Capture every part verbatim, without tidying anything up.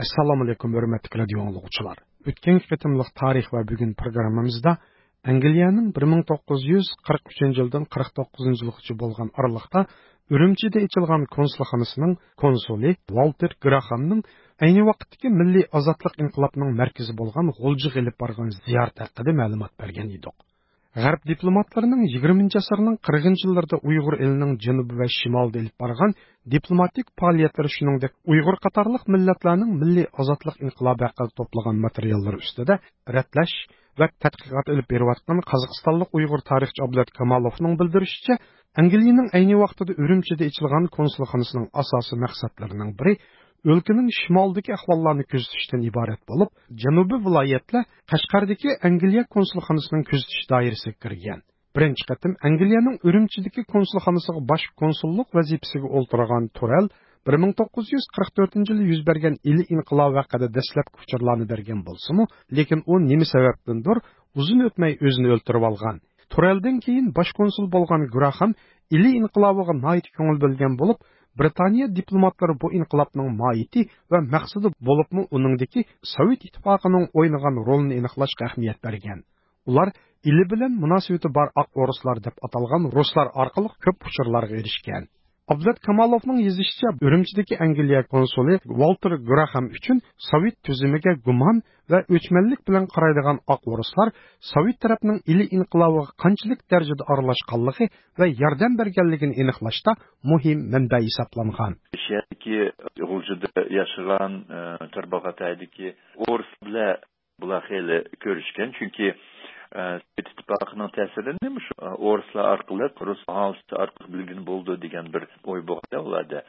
ئەسسالامۇئەلەيكۇم، ھۆرمەتلىك رادىيو ئاڭلىغۇچىلار. ئۆتكەنكى قېتىملىق تارىخ ۋە بۈگۈن پروگراممىمىزدا ئەنگلىيەنىڭ بىر مىڭ توققۇز يۈز قىرىق ئۈچىنچى يىلدىن قىرىق توققۇزىنچى يىلغىچە بولغان ئارىلىقتا ئۈرۈمچىدە ئېچىلغان كونسۇلخانىسىنىڭ كونسۇلى ۋالتېر گراخامنىڭ ئەينى ۋاقىتتىكى مىللىي ئازادلىق ئىنقىلابىنىڭ مەركىزى بولغان غۇلجىغا ئېلىپ بارغان زىيارىتى ھەققىدە مەلۇمات بەرگەن ئىدۇق. غەرب دىپلوماتلىرىنىڭ يىگىرمىنچى ئەسىرنىڭ قىرىقىنچى يىللىرىدا ئۇيغۇر ئېلىنىڭ جەنۇبى ۋە شىمالىدا ئېلىپ بارغان دىپلوماتىك پائالىيەتلىرى، شۇنىڭدەك ئۇيغۇر قاتارلىق مىللەتلەرنىڭ مىللىي ئازادلىق ئىنقىلابى ھەققىدە توپلىغان ماتېرىياللىرى ئۈستىدە رەتلەش ۋە تەتقىقات ئېلىپ بېرىۋاتقان قازاقىستانلىق ئۇيغۇر تارىخچى ئابلەت كامالوفنىڭ بىلدۈرۈشىچە، ئەنگلىيەنىڭ ئەينى ۋاقتىدا ئۈرۈمچىدە ئېچىلغان كونسۇلخانىسىنىڭ ئاساسىي مەقسەتلىرىنىڭ بىرى ئۆلكىنىڭ شىمالىدىكى ئەھۋاللارنى كۆزىتىشتىن ئىبارەت بولۇپ، جەنۇبىي ۋىلايەتلەر قەشقەردىكى ئەنگلىيە كونسۇلخانىسىنىڭ كۆزىتىش دائىرىسىگە كىرگەن. بىرىنچى قېتىم ئەنگلىيەنىڭ ئۈرۈمچىدىكى كونسۇلخانىسىغا باش كونسۇللۇق ۋەزىپىسىگە ئولتۇرغان تۇرەل بىر مىڭ توققۇز يۈز قىرىق تۆتىنچى يىلى يۈز بەرگەن ئىلى ئىنقىلابى ھەققىدە دەسلەپكى ئۇچۇرلارنى بەرگەن بولسىمۇ، لېكىن ئۇ نېمە سەۋەبتىندۇر ئۇزۇن ئۆتمەي ئۆزىنى ئۆلتۈرۈۋالغان. تۇرەلدىن كېيىن باش كونسۇل بولغان گراخام ئىلى ئىنقىلابىغا ناھايىتى كۆڭۈل بۆلگەن بولۇپ، بىرىتانىيە دىپلوماتلىرى بۇ ئىنقىلابنىڭ ماھىيىتى ۋە مەقسىتى، بولۇپمۇ ئۇنىڭدىكى سوۋېت ئىتتىپاقىنىڭ ئوينىغان رولىنى ئېنىقلاشقا ئەھمىيەت بەرگەن. ئۇلار ئىلى بىلەن مۇناسىۋىتى بار ئاق ئورۇسلار دەپ ئاتالغان رۇسلار ئارقىلىق كۆپ ئۇچۇرلارغا ئېرىشكەن. ئابلەت كامالوفنىڭ يېزىشىچە، ئۈرۈمچىدىكى ئەنگلىيە كونسۇلى ۋالتېر گراخام ئۈچۈن سوۋېت تۈزۈمىگە گۇمان ۋە ئۆچمەنلىك بىلەن قارايدىغان ئاق ئورۇسلار سوۋېت تەرەپنىڭ ئىلى ئىنقىلابىغا قانچىلىك دەرىجىدە ئارىلاشقانلىقى ۋە ياردەم بەرگەنلىكىنى ئېنىقلاشتا مۇھىم مەنبە ھېسابلانغان. شەھەردىكى غۇلجىدا ياشىغان، ئە، تارباغاتايدىكى ئورۇس بىلەن بۇلار خېلى كۆرۈشكەن، چۈنكى، ئە، سوۋېت ئىتتىپاقىنىڭ تەسىرىنى مۇشۇ، ئە، ئورۇسلار ئارقىلىق، رۇس ئاھالىسى ئارقىلىق بىلگىلى بولىدۇ دېگەن بىر ئوي بولغان ئۇلاردا.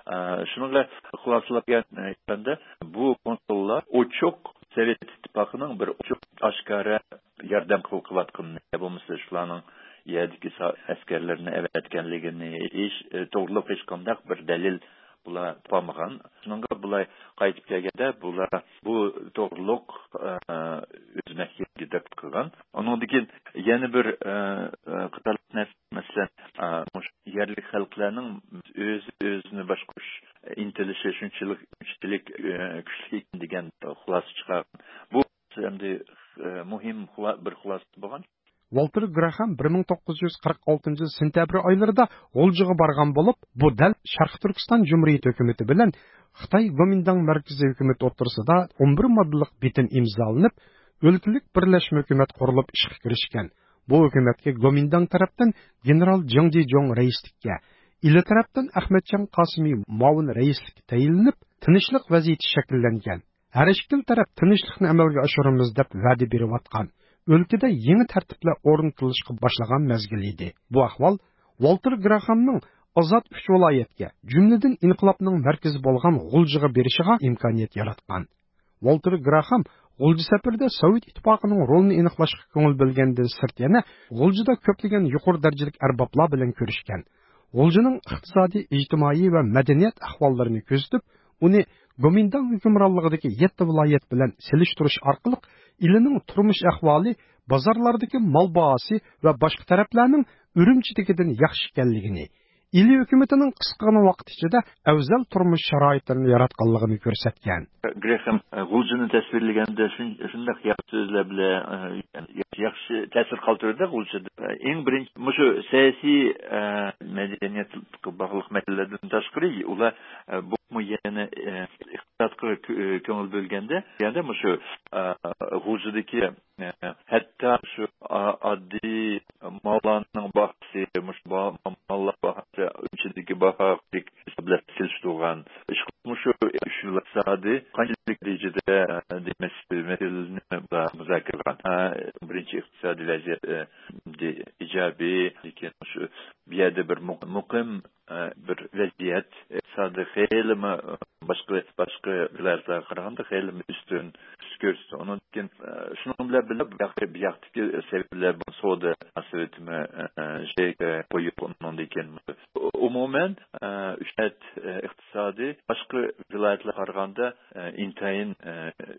ئە، شۇنىڭغا خۇلاسىلاپ كەلگەندە، بۇ كونسۇللار ئوچۇق سوۋېت ئىتتىپاقىنىڭ بىر ئوچۇق ئاشكارا ياردەم قىل-، قىلىۋاتقىنىنى، يا بولمىسا شۇلارنىڭ يەردىكى سا-، ئەسكەرلىرىنى ئەۋەتكەنلىكىنى ھېچ، ئە، توغرىلىق ھېچقانداق بىر دەلىل بۇلار تاپالمىغان. شۇنىڭغا بۇلار قايتىپ كەلگەندە، بۇلار بۇ توغرۇلۇق، ئە، ئۆز مەھكىمىگە دەپ قىلغان. ئۇنىڭدىن كېيىن يەنە بىر، ئە، ئە، قاتارلىق نەرسە، مەسىلەن، ئە، مۇشۇ يەرلىك خەلقلەرنىڭ ئۆزى ئۆزىنى باشقۇرۇش ئىنتىلىشى شۇنچىلىك، شۇنچىلىك، ئە، كۈچلۈك ئىكەن دېگەن خۇلاسە چىقارغان. بۇ ئەمدى، ئە، مۇھىم خۇلا-، بىر خۇلاسە بولغان. ۋالتېر گراخام بىر مىڭ توققۇز يۈز قىرىق ئالتىنچى يىل سېنتەبىر ئايلىرىدا غۇلجىغا بارغان بولۇپ، بۇ دەل شەرقىي تۈركىستان جۇمھۇرىيىتى ھۆكۈمىتى بىلەن خىتاي گومىنداڭ مەركىزىي ھۆكۈمىتى ئوتتۇرىسىدا ئون بىر ماددىلىق بىتىم ئىمزالىنىپ، ئۆلكىلىك بىرلەشمە ھۆكۈمەت قۇرۇلۇپ ئىشقا كىرىشكەن. بۇ ھۆكۈمەتكە گومىنداڭ تەرەپتىن گېنېرال جياڭ جىجوڭ رەئىسلىككە، ئىلى تەرەپتىن ئەخمەتجان قاسىمى مۇئاۋىن رەئىسلىككە تەيىنلىنىپ، تىنچلىق ۋەزىيىتى شەكىللەنگەن. ھەر ئىككىلا تەرەپ تىنچلىقنى ئەمەلگە ئاشۇرىمىز دەپ ۋەدە بېرىۋاتقان، ئۆلكىدە يېڭى تەرتىپلەر ئورنىتىلىشقا باشلىغان مەزگىل ئىدى. بۇ ئەھۋال ۋالتېر گراخامنىڭ ئازاد ئۈچ ۋىلايەتكە، جۈملىدىن ئىنقىلابنىڭ مەركىزى بولغان غۇلجىغا بېرىشىغا ئىمكانىيەت ياراتقان. ۋالتېر گراخام غۇلجا سەپىرىدە سوۋېت ئىتتىپاقىنىڭ رولىنى ئېنىقلاشقا كۆڭۈل بۆلگەندىن سىرت يەنە غۇلجىدا كۆپلىگەن يۇقىرى دەرىجىلىك ئەربابلار بىلەن كۆرۈشكەن. غۇلجىنىڭ ئىقتىسادىي، ئىجتىمائىي ۋە مەدەنىيەت ئەھۋاللىرىنى كۆزىتىپ، ئۇنى گومىنداڭ ھۆكۈمرانلىقىدىكى يەتتە ۋىلايەت بىلەن سېلىشتۇرۇش ئارقىلىق، ئىلىنىڭ تۇرمۇش ئەھۋالى، بازارلاردىكى مال باھاسى ۋە باشقا تەرەپلەرنىڭ ئۈرۈمچىدىكىدىن ياخشى ئىكەنلىكىنى، ئىلى ھۆكۈمىتىنىڭ قىسقىغىنە ۋاقىت ئىچىدە ئەۋزەل تۇرمۇش شارائىتلىرىنى ياراتقانلىقىنى كۆرسەتكەن. گرېخام، ئە، غۇلجىنى تەسۋىرلىگەندە شۇن-، شۇنداق ياخشى سۆزلەر بىلەن، ئە، ياخشى تەسىر قالدۇرىدۇ غۇلجىدا. ئەڭ بىرىنچى، مۇشۇ سىياسىي، ئە، مەدەنىيەتكە باغلىق مەسىلىلەردىن تاشقىرى، ئۇلار، ئە، بۇمۇ يەنە، ئە، ئىقتىسادقا كۆ-، كۆڭۈل بۆلگەندە، يەنە مۇشۇ، ئە، غۇلجىدىكى، ئە، ھەتتا شۇ ئا-، ئاددىي ماللارنىڭ باھاسى، مۇشۇ با-، ماللار باھاسى، ئۈرۈمچىدىكى باھا بىلەن سېلىشتۇرغان. ئىشقىلىپ، مۇشۇ ئۈچ يىل ئىقتىسادى قانچىلىك دەرىجىدە، دېمەك، مەسىلىنى مۇزاكىرە قىلغان. ھە، بىرىنچى ئىقتىسادىي ۋەزىيەت، ئە، ئىجابىي، لېكىن شۇ بۇ يەردە بىر مۇ-، مۇقىم، ئە، بىر ۋەزىيەت، ئىقتىسادى خېلىمۇ، ئە، باشقا، باشقا ۋىلايەتلەرگە قارىغاندا خېلىمۇ ئۈستۈن، ئۈستۈن كۆرسىتىدۇ. ئۇنىڭدىن كېيىن، ئە، شۇنىڭ بىلەن بىللە، بۇ ياقتىكى، بۇ ياقتىكى سەۋەبلەر، بۇ سودا مۇناسىۋىتىمۇ، ئە، ئە، شەيكە قويۇپ، ئۇنىڭدىن كېيىن ئومۇمەن، ئە، ئۈچ ئەت، ئە، ئىقتىسادى باشقا ۋىلايەتلەرگە قارىغاندا، ئە، ئىنتايىن، ئە،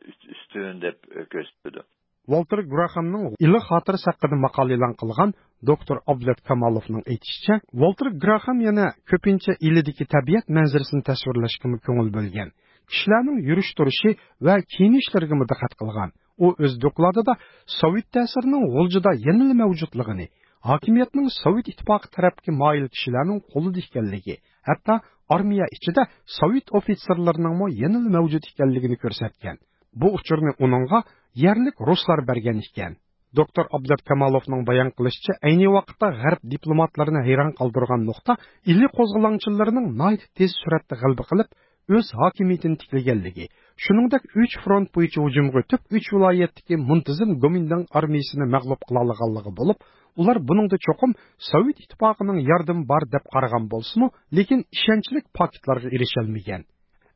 ئۈست-، ئۈستۈن دەپ، ئە، كۆرسىتىدۇ. ۋالتېر گراخامنىڭ ئىلى خاتىرىسى ھەققىدە ماقالە ئېلان قىلغان دوكتور ئابلەت كامالوفنىڭ ئېيتىشىچە، ۋالتېر گراخام يەنە كۆپىنچە ئىلىدىكى تەبىئەت مەنزىرىسىنى تەسۋىرلەشكىمۇ كۆڭۈل بۆلگەن. كىشىلەرنىڭ يۈرۈش تۇرۇشى ۋە كىيىنىشلىرىگىمۇ دىققەت قىلغان. ئۇ ئۆز دوكلاتىدا سوۋېت تەسىرىنىڭ غۇلجىدا يەنىلا مەۋجۇتلۇقىنى، ھاكىمىيەتنىڭ سوۋېت ئىتتىپاقى تەرەپكە مايىل كىشىلەرنىڭ قولىدا ئىكەنلىكى، ھەتتا ئارمىيە ئىچىدە سوۋېت ئوفىتسېرلىرىنىڭمۇ يەنىلا مەۋجۇت ئىكەنلىكىنى كۆرسەتكەن. بۇ ئۇچۇرنى ئۇنىڭغا يەرلىك رۇسلار بەرگەن ئىكەن. دوكتور ئابلەت كامالوفنىڭ بايان قىلىشىچە، ئەينى ۋاقىتتا غەرب دىپلوماتلىرىنى ھەيران قالدۇرغان نۇقتا ئىلى قوزغىلاڭچىلىرىنىڭ ناھايىتى تېز سۈرئەتتە غەلىبە قىلىپ، ئۆز ھاكىمىيىتىنى تىكلىگەنلىكى، شۇنىڭدەك ئۈچ فرونت بويىچە ھۇجۇمغا ئۆتۈپ، ئۈچ ۋىلايەتتىكى مۇنتىزىم گومىنداڭ ئارمىيىسىنى مەغلۇپ قىلالىغانلىقى بولۇپ، ئۇلار بۇنىڭدا چوقۇم سوۋېت ئىتتىپاقىنىڭ ياردىمى بار دەپ قارىغان بولسىمۇ، لېكىن ئىشەنچلىك پاكىتلارغا ئېرىشەلمىگەن.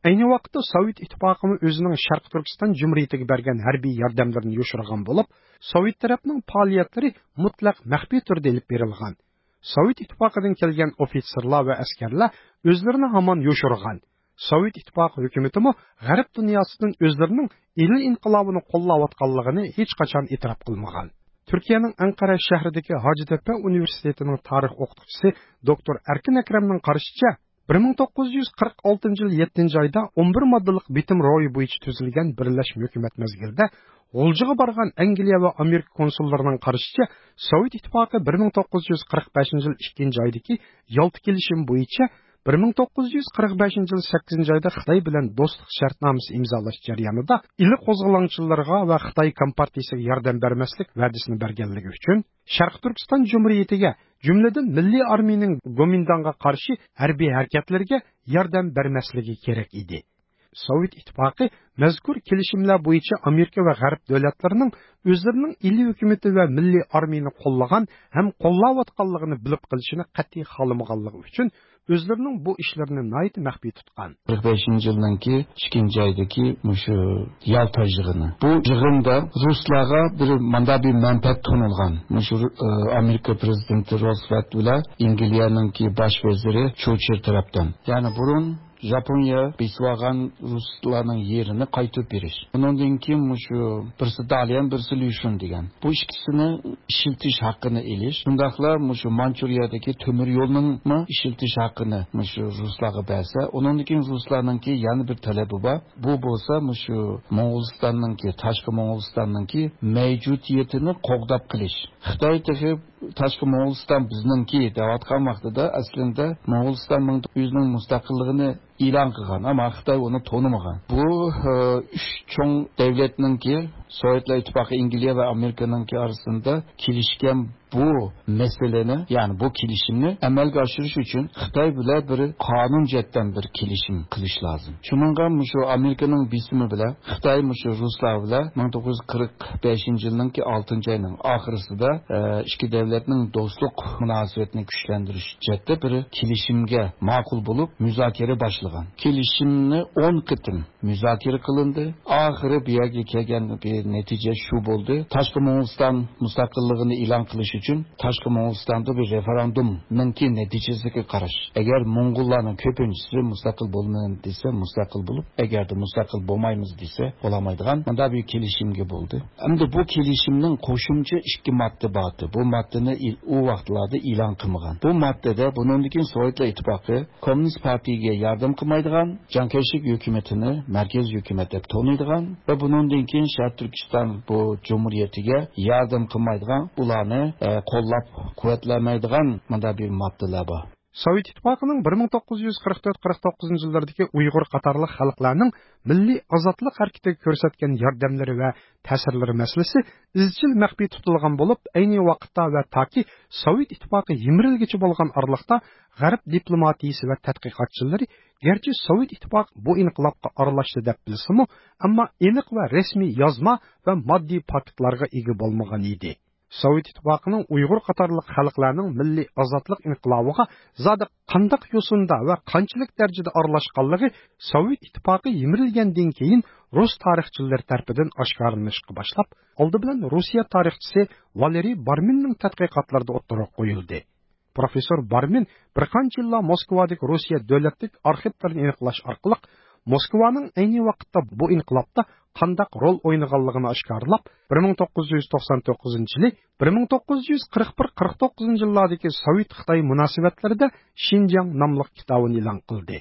ئەينى ۋاقىتتا سوۋېت ئىتتىپاقىمۇ ئۆزىنىڭ شەرقىي تۈركىستان جۇمھۇرىيىتىگە بەرگەن ھەربىي ياردەملىرىنى يوشۇرغان بولۇپ، سوۋېت تەرەپنىڭ پائالىيەتلىرى مۇتلەق مەخپىي تۈردە ئېلىپ بېرىلغان. سوۋېت ئىتتىپاقىدىن كەلگەن ئوفىتسېرلار ۋە ئەسكەرلەر ئۆزلىرىنى ھامان يوشۇرغان. سوۋېت ئىتتىپاقى ھۆكۈمىتىمۇ غەرب دۇنياسىدىن ئۆزلىرىنىڭ ئىلى ئىنقىلابىنى قوللاۋاتقانلىقىنى ھېچقاچان ئېتىراپ قىلمىغان. تۈركىيەنىڭ ئەنقەرە شەھىرىدىكى ھاجىتەپە ئۇنىۋېرسىتېتىنىڭ تارىخ ئوقۇتقۇچىسى دوكتور ئەركىن ئەكرەمنىڭ قارىشىچە، بىر مىڭ توققۇز يۈز قىرىق ئالتىنچى يىل يەتتىنچى ئايدا ئون بىر ماددىلىق بىتىم رويى بويىچە تۈزۈلگەن بىرلەشمە ھۆكۈمەت مەزگىلىدە غۇلجىغا بارغان ئەنگلىيە ۋە ئامېرىكا كونسۇللىرىنىڭ قارىشىچە، سوۋېت ئىتتىپاقى بىر مىڭ توققۇز يۈز قىرىق بەشىنچى يىل ئىككىنچى ئايدىكى يالتا كېلىشىمى بويىچە بىر مىڭ توققۇز يۈز قىرىق بەشىنچى يىل سەككىزىنچى ئايدا خىتاي بىلەن دوستلۇق شەرتنامىسى ئىمزالاش جەريانىدا ئىلى قوزغىلاڭچىلىرىغا ۋە خىتاي كومپارتىيىسىگە ياردەم بەرمەسلىك ۋەدىسىنى بەرگەنلىكى ئۈچۈن، شەرقىي تۈركىستان جۇمھۇرىيىتىگە، جۈملىدىن مىللىي ئارمىيىنىڭ گومىنداڭغا قارشى ھەربىي ھەرىكەتلىرىگە ياردەم بەرمەسلىكى كېرەك ئىدى. سوۋېت ئىتتىپاقى مەزكۇر كېلىشىملەر بويىچە ئامېرىكا ۋە غەرب دۆلەتلىرىنىڭ ئۆزلىرىنىڭ ئىلى ھۆكۈمىتى ۋە مىللىي ئارمىيىنى قوللىغان ھەم قوللاۋاتقانلىقىنى بىلىپ قېلىشىنى قەتئىي خالىمىغانلىقى ئۈچۈن، ئۆزلىرىنىڭ بۇ ئىشلىرىنى ناھايىتى مەخپىي تۇتقان. قىرىق بەشىنچى يىلنىڭكى ئىككىنچى ئايدىكى مۇشۇ يالتا يىغىنى. بۇ يىغىندا رۇسلارغا بىر ماندا بىر مەنپەئەت تونۇلغان. مۇشۇ، ئى، ئامېرىكا پرېزىدېنتى روزۋېلت بىلەن ئەنگلىيەنىڭكى باش ۋەزىرى چۇرچىل تەرەپتىن. يەنى بۇرۇن ياپونىيە بېسىۋالغان رۇسلارنىڭ يېرىنى قايتۇرۇپ بېرىش. ئۇنىڭدىن كېيىن مۇشۇ بىرسى داليەن، بىرسى ليۇشۈن دېگەن. بۇ ئىككىسىنى ئىشلىتىش ھەققىنى ئېلىش، شۇنداقلا مۇشۇ مانچۇرىيەدىكى تۆمۈر يولنىڭمۇ ئىشلىتىش ھەققىنى مۇشۇ رۇسلارغا بەرسە، ئۇنىڭدىن كېيىن رۇسلارنىڭكى يەنە بىر تەلىپى بار. بۇ بولسا مۇشۇ موڭغۇلىستاننىڭكى، تاشقى موڭغۇلىستاننىڭكى مەۋجۇدىيىتىنى قوغداپ قېلىش. خىتاي تېخى تاشقى موڭغۇلىستان بىزنىڭكى دەۋاتقان ۋاقتىدا، ئەسلىدە موڭغۇلىستان مىڭ-، ئۆزىنىڭ مۇستەقىللىقىنى ئېلان قىلغان، ئەمما خىتاي ئۇنى تونۇمىغان. بۇ، ئى، ئۈچ چوڭ دۆلەتنىڭكى، سوۋېتلار ئىتتىپاقى، ئەنگلىيە ۋە ئامېرىكىنىڭكى ئارىسىدا كېلىشكەن بۇ مەسىلىنى، يەنى بۇ كېلىشىمنى ئەمەلگە ئاشۇرۇش ئۈچۈن خىتاي بىلەن بىر قانۇن جەھەتتىن بىر كېلىشىم قىلىش لازىم. شۇنىڭغا مۇشۇ ئامېرىكىنىڭ بېسىمى بىلەن خىتاي مۇشۇ رۇسلار بىلەن مىڭ توققۇز يۈز قىرىق بەشىنچى يىلنىڭكى ئالتىنچى ئاينىڭ ئاخىرىسىدا، ئە، ئىككى دۆلەتنىڭ دوستلۇق مۇناسىۋىتىنى كۈچلەندۈرۈش جەھەتتە بىر كېلىشىمگە ماقۇل بولۇپ، مۇزاكىرە باشلىغان. كېلىشىمنى ئون قېتىم مۇزاكىرە قىلىندى. ئاخىرى بۇ يەرگە كەلگەن بىر نەتىجە شۇ بولدى. تاشقى موڭغۇلىستان مۇستەقىللىقىنى ئېلان قىلىش ئۈچۈن تاشقى موڭغۇلىستاندا بىر رېفېرېندۇمنىڭكى نەتىجىسىگە قاراش. ئەگەر موڭغۇللارنىڭ كۆپىنچىسى مۇستەقىل بولىمەن دېسە، مۇستەقىل بولۇپ، ئەگەردە مۇستەقىل بولمايمىز دېسە، بولالمايدىغان مۇنداق بىر كېلىشىمگە بولدى. ئەمدى بۇ كېلىشىمنىڭ قوشۇمچە ئىككى ماددا بار ئىدى. بۇ ماددىنى ئىل-، ئۇ ۋاقىتلاردا ئېلان قىلمىغان. بۇ ماددىدە بۇنىڭدىن كېيىن سوۋېتلار ئىتتىپاقى كوممۇنىست پارتىيىگە ياردەم قىلمايدىغان، جياڭ كەيشىك ھۆكۈمىتىنى مەركەزىي ھۆكۈمەت دەپ تونۇيدىغان ۋە بۇنىڭدىن كېيىن شەرقىي تۈركىستان بۇ جۇمھۇرىيىتىگە ياردەم قىلمايدىغان، ئۇلارنى، ئە، قوللاپ قۇۋۋەتلەمەيدىغان مۇنداق بىر ماددىلار بار. سوۋېت ئىتتىپاقىنىڭ بىر مىڭ توققۇز يۈز قىرىق تۆت قىرىق توققۇزىنچى يىللىرىدىكى ئۇيغۇر قاتارلىق خەلقلەرنىڭ مىللىي ئازادلىق ھەرىكىتىگە كۆرسەتكەن ياردەملىرى ۋە تەسىرلىرى مەسىلىسى ئىزچىل مەخپىي تۇتۇلغان بولۇپ، ئەينى ۋاقىتتا ۋە تاكى سوۋېت ئىتتىپاقى يىمىرىلگىچە بولغان ئارىلىقتا غەرب دىپلوماتىيىسى ۋە تەتقىقاتچىلىرى گەرچە سوۋېت ئىتتىپاقى بۇ ئىنقىلابقا ئارىلاشتى دەپ بىلسىمۇ، ئەمما ئېنىق ۋە رەسمىي يازما ۋە ماددىي پاكىتلارغا ئىگە بولمىغان ئىدى. سوۋېت ئىتتىپاقىنىڭ ئۇيغۇر قاتارلىق خەلقلەرنىڭ مىللىي ئازادلىق ئىنقىلابىغا زادى قانداق يوسۇندا ۋە قانچىلىك دەرىجىدە ئارىلاشقانلىقى سوۋېت ئىتتىپاقى يىمىرىلگەندىن كېيىن رۇس تارىخچىلىرى تەرىپىدىن ئاشكارىلىنىشقا باشلاپ، ئالدى بىلەن روسىيە تارىخچىسى ۋالېرىي بارمىننىڭ تەتقىقاتلىرىدا ئوتتۇرىغا قويۇلدى. پروفېسسور بارمىن بىر قانچە يىللار موسكۋادىكى روسىيە دۆلەتلىك ئارخىپلىرىنى ئېنىقلاش ئارقىلىق، موسكۋانىڭ ئەينى ۋاقىتتا بۇ ئىنقىلابتا قانداق رول ئوينىغانلىقىنى ئاشكارىلاپ، بىر مىڭ توققۇز يۈز توقسان توققۇزىنچى يىلى، بىر مىڭ توققۇز يۈز قىرىق بىر قىرىق توققۇزىنچى يىللاردىكى سوۋېت-خىتاي مۇناسىۋەتلىرىدە شىنجاڭ ناملىق كىتابىنى ئېلان قىلدى.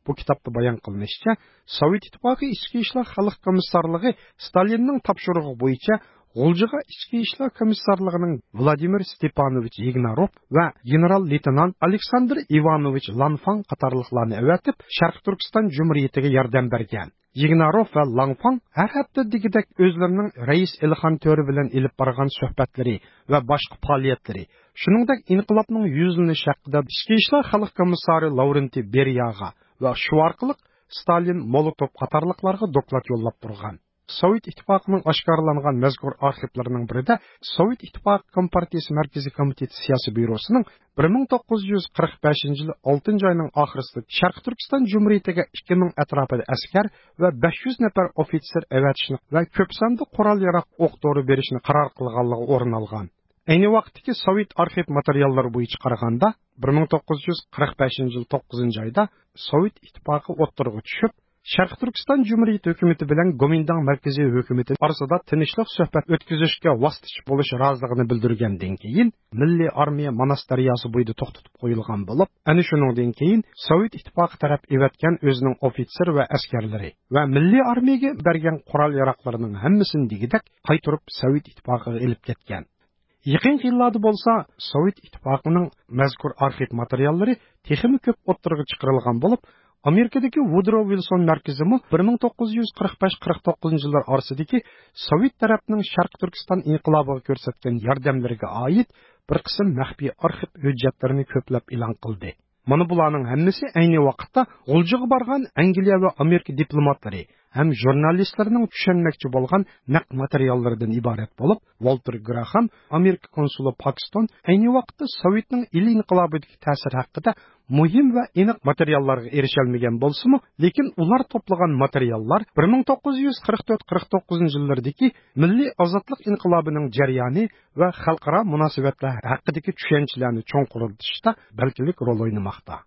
بۇ كىتابتا بايان قىلىنىشىچە، سوۋېت ئىتتىپاقى ئىچكى ئىشلار خەلق كومىسسارلىقى ستالىننىڭ تاپشۇرۇقى بويىچە غۇلجىغا ئىچكى ئىشلار كومىسسارلىقىنىڭ ۋلادىمىر ستېپانوۋىچ يىگناروف ۋە گېنېرال لېيتېنانت ئالېكساندىر ئىۋانوۋىچ لانفاڭ قاتارلىقلارنى ئەۋەتىپ، شەرقىي تۈركىستان جۇمھۇرىيىتىگە ياردەم بەرگەن. يىگناروف ۋە لانفاڭ ھەر ھەپتە دېگۈدەك ئۆزلىرىنىڭ رەئىس ئېلىخان تۆرە بىلەن ئېلىپ بارغان سۆھبەتلىرى ۋە باشقا پائالىيەتلىرى، شۇنىڭدەك ئىنقىلابنىڭ يۈزلىنىشى ھەققىدە ئىچكى ئىشلار خەلق كومىسسارى لاۋرېنتىي بېرىياغا ۋە شۇ ئارقىلىق ستالىن، مولوتوف قاتارلىقلارغا دوكلات يوللاپ تۇرغان. سوۋېت ئىتتىپاقىنىڭ ئاشكارىلانغان مەزكۇر ئارخىپلىرىنىڭ بىرىدە سوۋېت ئىتتىپاقى كومپارتىيىسى مەركىزىي كومىتېتى سىياسىي بيۇروسىنىڭ بىر مىڭ توققۇز يۈز قىرىق بەشىنچى يىل ئالتىنچى ئاينىڭ ئاخىرىسىدا شەرقىي تۈركىستان جۇمھۇرىيىتىگە ئىككى مىڭ ئەتراپىدا ئەسكەر ۋە بەش يۈز نەپەر ئوفىتسېر ئەۋەتىشنى ۋە كۆپ ساندا قورال-ياراغ، ئوق-دورا بېرىشنى قارار قىلغانلىقى ئورۇن ئالغان. ئەينى ۋاقىتتىكى سوۋېت ئارخىپ ماتېرىياللىرى بويىچە قارىغاندا، بىر مىڭ توققۇز يۈز قىرىق بەشىنچى يىل توققۇزىنچى ئايدا سوۋېت ئىتتىپاقى ئوتتۇرىغا چۈشۈپ، شەرقىي تۈركىستان جۇمھۇرىيىتى ھۆكۈمىتى بىلەن گومىنداڭ مەركىزىي ھۆكۈمىتى ئارىسىدا تىنچلىق سۆھبەت ئۆتكۈزۈشكە ۋاسىتىچى بولۇش رازىلىقىنى بىلدۈرگەندىن كېيىن، مىللىي ئارمىيە ماناس دەرياسى بويىدا توختىتىپ قويۇلغان بولۇپ، ئەنە شۇنىڭدىن كېيىن سوۋېت ئىتتىپاقى تەرەپ ئېۋەتكەن ئۆزىنىڭ ئوفىتسېر ۋە ئەسكەرلىرى ۋە مىللىي ئارمىيەگە بەرگەن قورال-ياراغلىرىنىڭ ھەممىسىنى دېگۈدەك قايتۇرۇپ سوۋېت ئىتتىپاقىغا ئېلىپ كەتكەن. يېقىنقى يىللاردا بولسا سوۋېت ئىتتىپاقىنىڭ مەزكۇر ئارخىپ ماتېرىياللىرى تېخىمۇ كۆپ ئوتتۇرىغا چىقىرىلغان بولۇپ، ئامېرىكىدىكى ۋۇدرو ۋىلسون مەركىزىمۇ بىر مىڭ توققۇز يۈز قىرىق بەش قىرىق توققۇزىنچى يىللار ئارىسىدىكى سوۋېت تەرەپنىڭ شەرقىي تۈركىستان ئىنقىلابىغا كۆرسەتكەن ياردەملىرىگە ئائىت بىر قىسىم مەخپىي ئارخىپ ھۆججەتلىرىنى كۆپلەپ ئېلان قىلدى. مانا بۇلارنىڭ ھەممىسى ئەينى ۋاقىتتا غۇلجىغا بارغان ئەنگلىيە ۋە ئامېرىكا دىپلوماتلىرى ھەم ژۇرنالىستلىرىنىڭ چۈشەنمەكچى بولغان نەق ماتېرىياللىرىدىن ئىبارەت بولۇپ، ۋالتېر گراخام، ئامېرىكا كونسۇلى پاكستون ئەينى ۋاقىتتا سوۋېتنىڭ ئىلى ئىنقىلابىدىكى تەسىرى ھەققىدە مۇھىم ۋە ئېنىق ماتېرىياللارغا ئېرىشەلمىگەن بولسىمۇ، لېكىن ئۇلار توپلىغان ماتېرىياللار بىر مىڭ توققۇز يۈز قىرىق تۆت قىرىق توققۇزىنچى يىللىرىدىكى مىللىي ئازادلىق ئىنقىلابىنىڭ جەريانى ۋە خەلقئارا مۇناسىۋەتلەر ھەققىدىكى چۈشەنچىلەرنى چوڭقۇرلىتىشتا بەلگىلىك رول ئوينىماقتا.